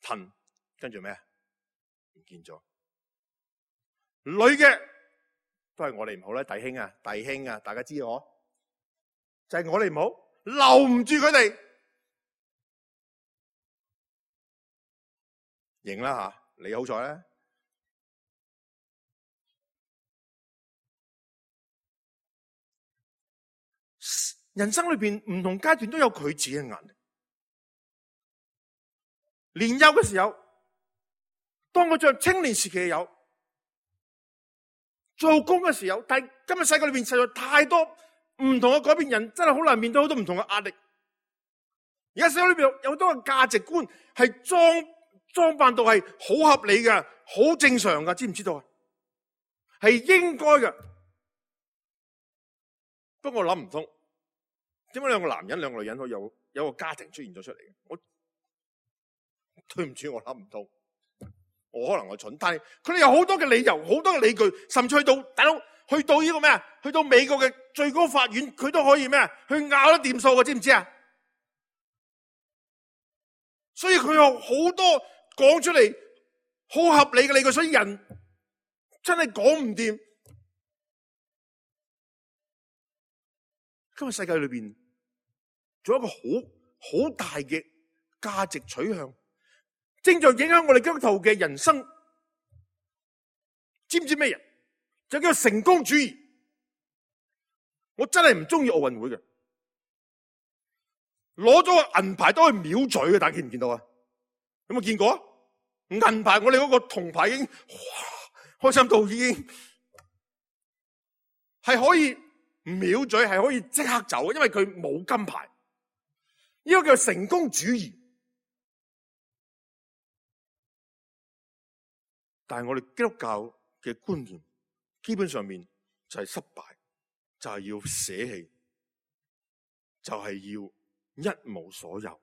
褪，跟住咩？唔見咗。女嘅都係我哋唔好咧，弟兄啊，弟兄啊，大家知我就係、是、我哋唔好，留唔住佢哋，認啦吓，你好彩咧。人生裏邊唔同階段都有佢自己嘅壓力。年幼嘅時候，當我在青年時期有做工嘅時候，但係今日世界裏邊實在太多唔同嘅改變，人真係好難面對好多唔同嘅壓力。而家社會裏邊有好多嘅價值觀係裝裝扮到係好合理嘅、好正常嘅，知唔知道啊？係應該嘅。不過我諗唔通。點解兩個男人、兩個女人可以有有個家庭出現咗出嚟嘅？我對唔住，我諗唔通。我可能我蠢，但係佢哋有好多嘅理由，好多嘅理據，甚至去到大佬去到呢個咩啊？去到美國嘅最高法院，佢都可以咩啊？去拗得掂數嘅，知唔知啊？所以佢有好多講出嚟好合理嘅理據，所以人真係講唔掂。今日世界裏邊。仲有一個好好大嘅價值取向，正在影響我哋基督徒嘅人生。知唔知咩人？就叫成功主義。我真係唔中意奧運會嘅，攞咗個銀牌都可以秒嘴嘅，大家見唔見到啊？有冇見過啊？銀牌我哋嗰個銅牌已經哇開心到已經係可以秒嘴，係可以即刻走，因為佢冇金牌。呢個叫成功主義，但係我哋基督教嘅觀念，基本上面就係失敗，就係要捨棄，就係要一無所有。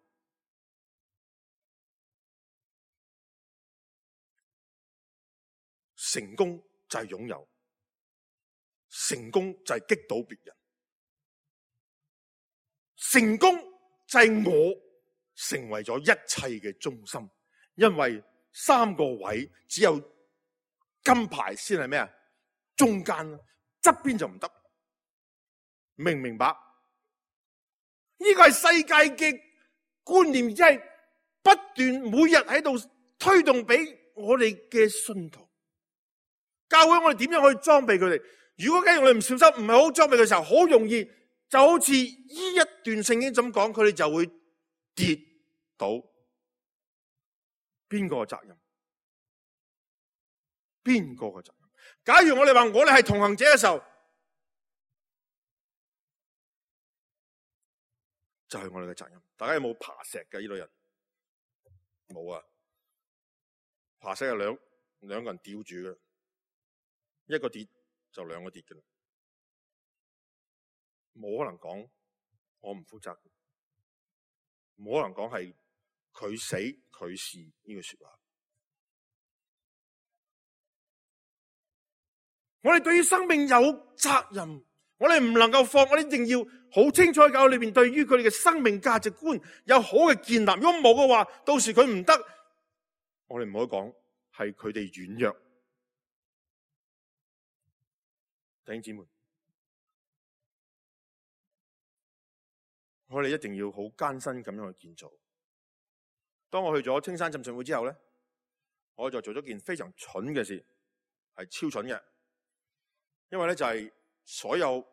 成功就係擁有，成功就係擊倒別人，成功。就係我成為咗一切嘅中心，因為三個位只有金牌先係咩啊？中間側邊就唔得，明唔明白？呢個係世界嘅觀念，即係不斷每日喺度推動俾我哋嘅信徒。教會我哋點樣去裝備佢哋？如果假如我哋唔小心，唔係好裝備嘅時候，好容易。就好似呢一段聖經咁講，佢哋就會跌倒。邊個嘅責任？邊個嘅責任？假如我哋話我哋係同行者嘅時候，就係我哋嘅責任。大家有冇爬石嘅呢類人？冇啊！爬石係兩兩個人吊住嘅，一個跌就兩個跌嘅啦。冇可能講我唔負責，冇可能講係佢死佢事呢句說話。我哋對於生命有責任，我哋唔能夠放，我哋一定要好清楚喺教會裏邊對於佢哋嘅生命價值觀有好嘅建立。如果冇嘅話，到時佢唔得，我哋唔可以講係佢哋軟弱。弟兄姊妹，我哋一定要好艱辛咁樣去建造。當我去咗青山浸信會之後咧，我就做咗件非常蠢嘅事，係超蠢嘅。因為咧就係所有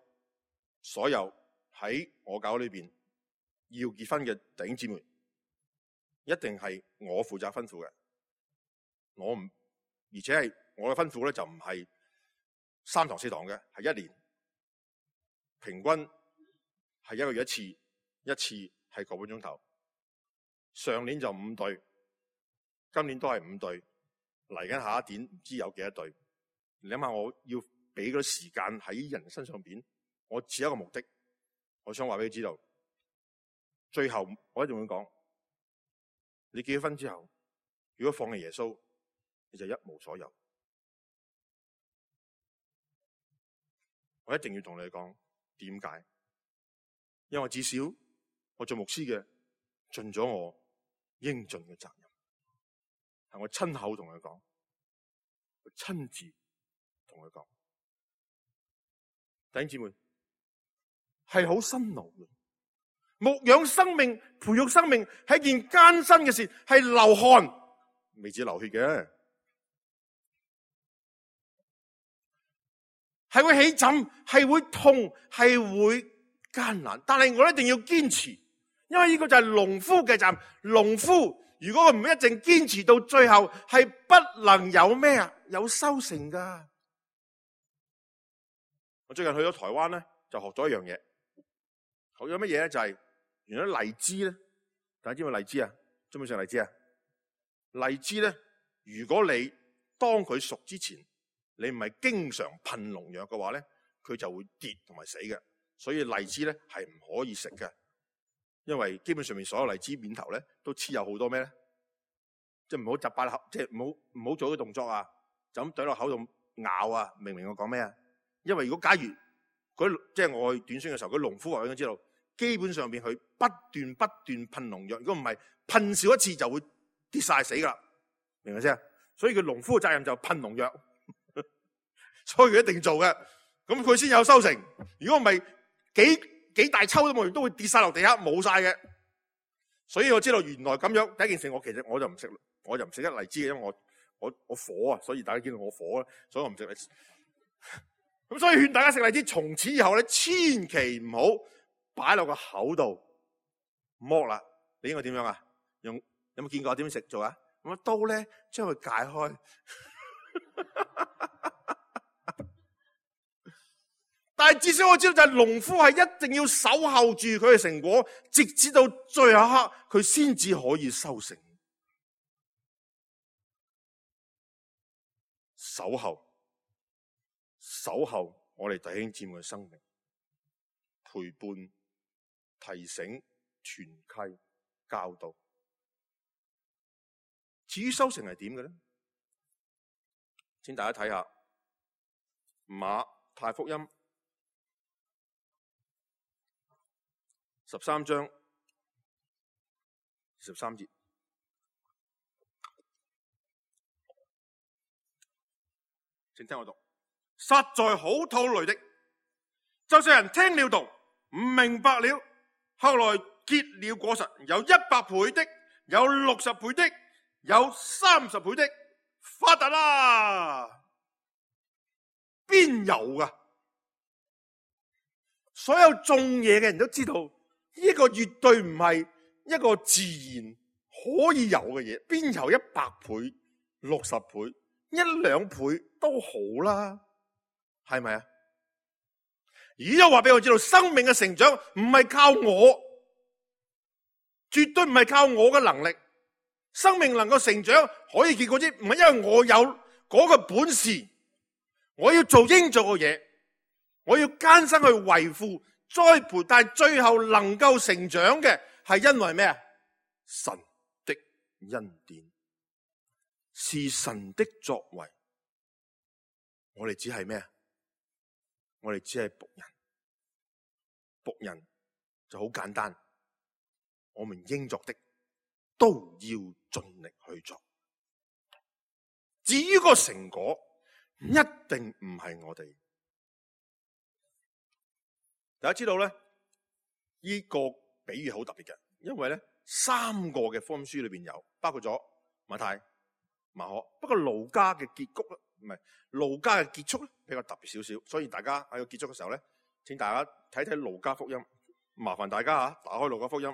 所有喺我教會裏邊要結婚嘅弟兄姊妹，一定係我負責吩咐嘅。我唔，而且係我嘅吩咐咧就唔係三堂四堂嘅，係一年平均係一個月一次。一次係個半鐘頭，上年就五對，今年都係五對，嚟緊下一年唔知有幾多對。你諗下，我要俾嗰啲時間喺人身上邊，我只有一個目的，我想話俾你知道，最後我一定會講，你結咗婚之後，如果放棄耶穌，你就一無所有。我一定要同你講點解，因為至少我做牧師嘅盡咗我應盡嘅責任。係我親口同佢講，我親自同佢講。弟兄姊妹，係好辛勞嘅。牧養生命、培育生命係一件艱辛嘅事，係流汗，未止流血嘅，係會起疹，係會痛，係會艱難。但係我一定要堅持，因為呢個就係農夫嘅責任。農夫如果佢唔一定堅持到最後，係不能有咩啊？有收成噶。我最近去咗台灣咧，就學咗一樣嘢。學咗乜嘢咧？就係、是、原來荔枝咧，大家知唔知荔枝啊？知唔知食荔枝啊？荔枝咧，如果你當佢熟之前，你唔係經常噴農藥嘅話咧，佢就會跌同埋死嘅。所以荔枝咧係唔可以食嘅，因為基本上面所有荔枝面頭咧都黐有好多咩咧，即係唔好集八口，即係唔好唔好做啲動作啊，就咁懟落口度咬啊！明唔明我講咩啊？因為如果假如佢即係我去短宣嘅時候，佢農夫話應該知道，基本上邊佢不斷不斷噴農藥，如果唔係噴少一次就會跌晒死噶啦，明唔明先？所以佢農夫嘅責任就噴農藥，所以佢一定做嘅，咁佢先有收成。如果唔係幾幾大抽都冇，都會跌晒落地下冇晒嘅。所以我知道原來咁樣第一件事，我其實我就唔食，我就唔食得荔枝嘅，因為我我我火啊，所以大家見到我火啦，所以我唔食荔枝。咁所以勸大家食荔枝，從此以後咧，千祈唔好擺落個口度剝啦。你應該點樣啊？用有冇見過點樣食做啊？用刀咧將佢解開。但係至少我知道就係農夫係一定要守候住佢嘅成果，直至到最後一刻佢先至可以收成。守候。守候我哋弟兄姊妹嘅生命，陪伴、提醒、傳契、教導。至於收成係點嘅咧？請大家睇下馬太福音十三章十三節，請聽我讀。實在好土雷的，就是人聽了道唔明白了，後來結了果實，有一百倍的，有六十倍的，有三十倍的，發達啦！邊有噶？所有種嘢嘅人都知道，呢個絕對唔係一個自然可以有嘅嘢，邊有一百倍、六十倍、一兩倍都好啦。係咪啊？而家話俾我知道，生命嘅成長唔係靠我，絕對唔係靠我嘅能力。生命能夠成長可以結果之，唔係因為我有嗰個本事，我要做應做嘅嘢，我要艱辛去維護栽培，但係最後能夠成長嘅係因為咩啊？神的恩典，是神的作為。我哋只係咩啊？我哋只係僕人，僕人就好簡單。我們應作的都要盡力去做。至於個成果，一定唔係我哋。大家知道咧，呢個比喻好特別嘅，因為咧三個嘅福音書裏邊有，包括咗馬太、馬可，不過路加嘅結局咧，唔係路加嘅結束咧比較特別少少，所以大家喺個結束嘅時候咧，請大家睇睇路加福音，麻煩大家吓打開路加福音，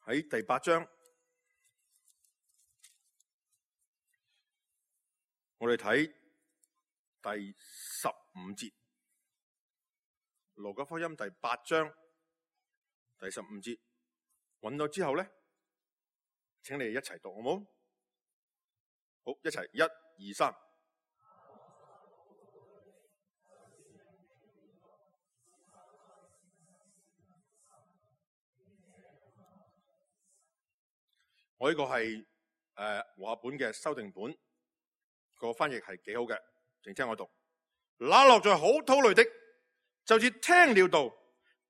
喺第八章，我哋睇第十五節。路加福音第八章第十五節，揾到之後咧，請你哋一齊讀好冇？好，一齊，一、二、三。我呢個係誒和合本嘅修訂本個翻譯係幾好嘅，請聽我讀。那落在好土裡的，就是聽了道，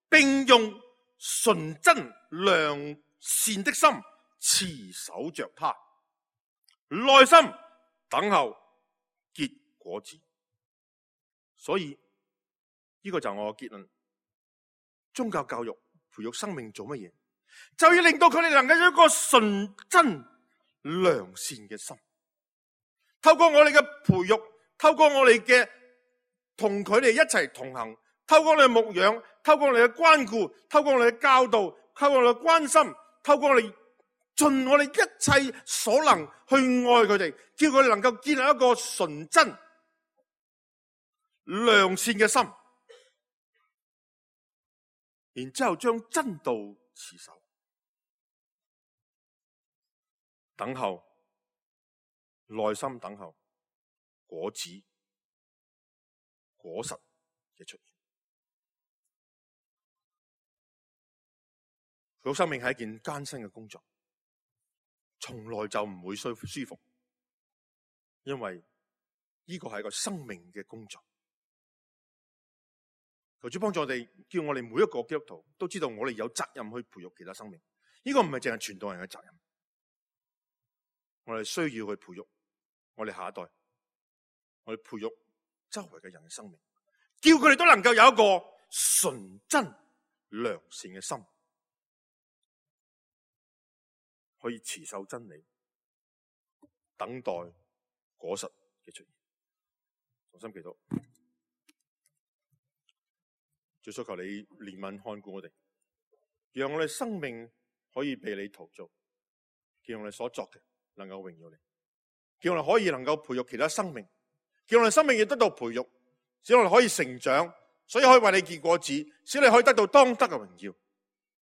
並用純真良善的心持守着它，耐心等候結果子。所以呢個就係我嘅結論。宗教教育培育生命做乜嘢？就要令到佢哋能夠有一個純真良善嘅心。透過我哋嘅培育，透過我哋嘅同佢哋一齊同行，透過我哋嘅牧養，透過我哋嘅關顧，透過我哋嘅教導，透過我哋嘅關心，透過我哋盡我哋一切所能去愛佢哋，叫佢哋能夠建立一個純真良善嘅心，然之後將真道持守，等候，耐心等候果子果實嘅出現。培育生命係一件艱辛嘅工作，從來就唔會舒舒服，因為呢個係一個生命嘅工作。求主幫助我哋，叫我哋每一個基督徒都知道我哋有責任去培育其他生命。呢個唔係淨係傳道人嘅責任，我哋需要去培育我哋下一代，我哋培育周圍嘅人嘅生命，叫佢哋都能夠有一個純真良善嘅心，可以持守真理，等待果實嘅出現。同心祈禱。主，所求你憐憫看顧我哋，讓我哋生命可以被你陶造，叫我哋所作嘅能夠榮耀你，叫我哋可以能夠培育其他生命，叫我哋生命亦得到培育，使我哋可以成長，所以可以為你結果子，使你可以得到當得嘅榮耀，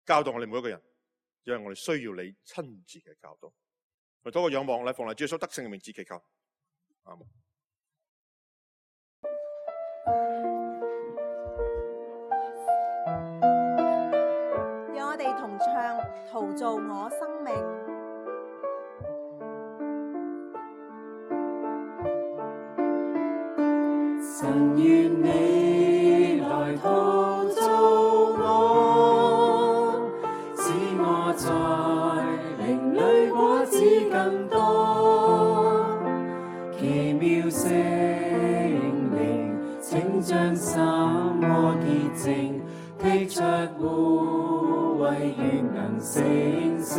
教導我哋每一個人，因為我哋需要你親自嘅教導。我哋多個仰望，嚟奉嚟主耶穌得勝嘅名字祈求，阿門。我哋同唱陶造我生命。神願你來陶造我，使我在靈裡果子更多，奇妙聖靈請將心我潔淨，剔出污穢願能成聖，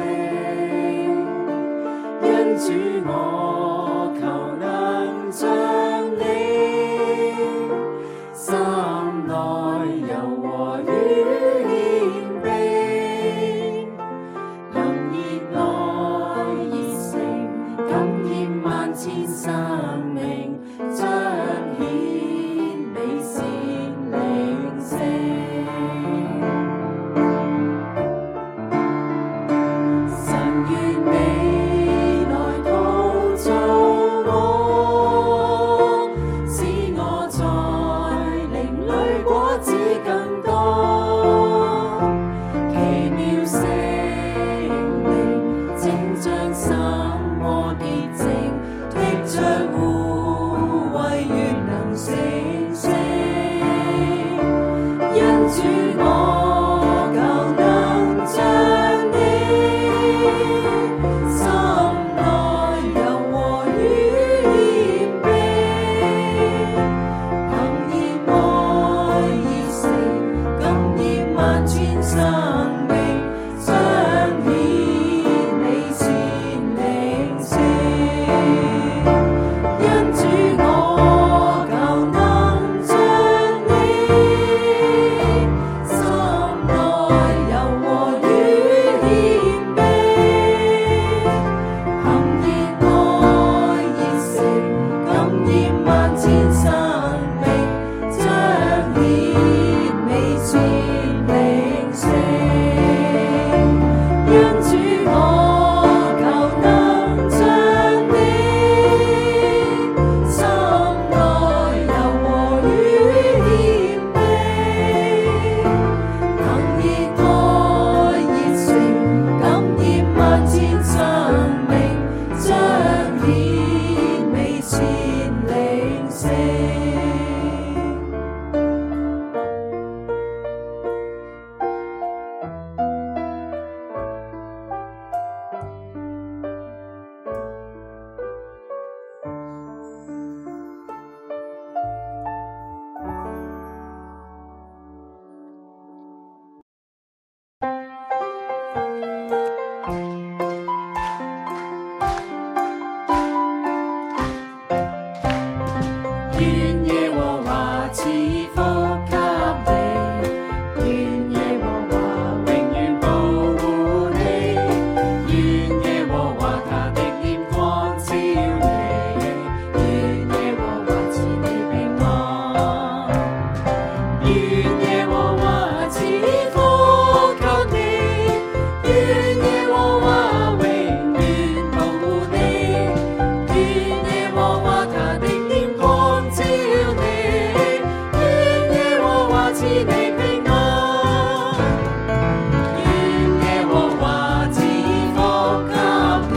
因主我求能將你心內柔和與謙卑，憑熱愛熱誠感染萬千生命，彰顯美善靈性。心賜你平安，願耶和華賜福給你，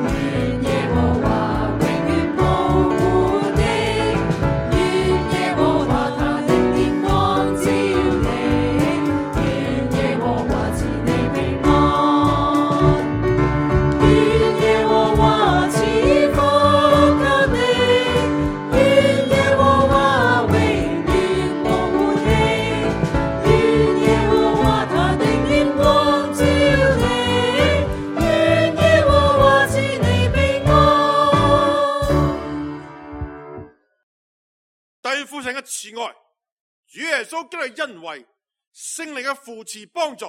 願耶和華永遠保護你，願耶和華他的臉光照你，願耶和華賜你平安，願耶和華賜福給你，願耶和華永遠保護你，願耶和華他的臉光照你，願耶和華賜你平安。弟父神嘅慈愛，主耶穌基督嘅恩惠，聖靈嘅扶持幫助，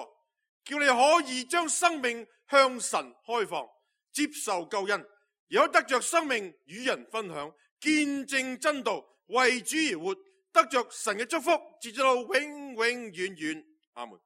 叫你可以將生命向神開放，接受救恩，而可得着生命與人分享，見證真道，為主而活，得着神嘅祝福，直至到永永遠遠。阿門。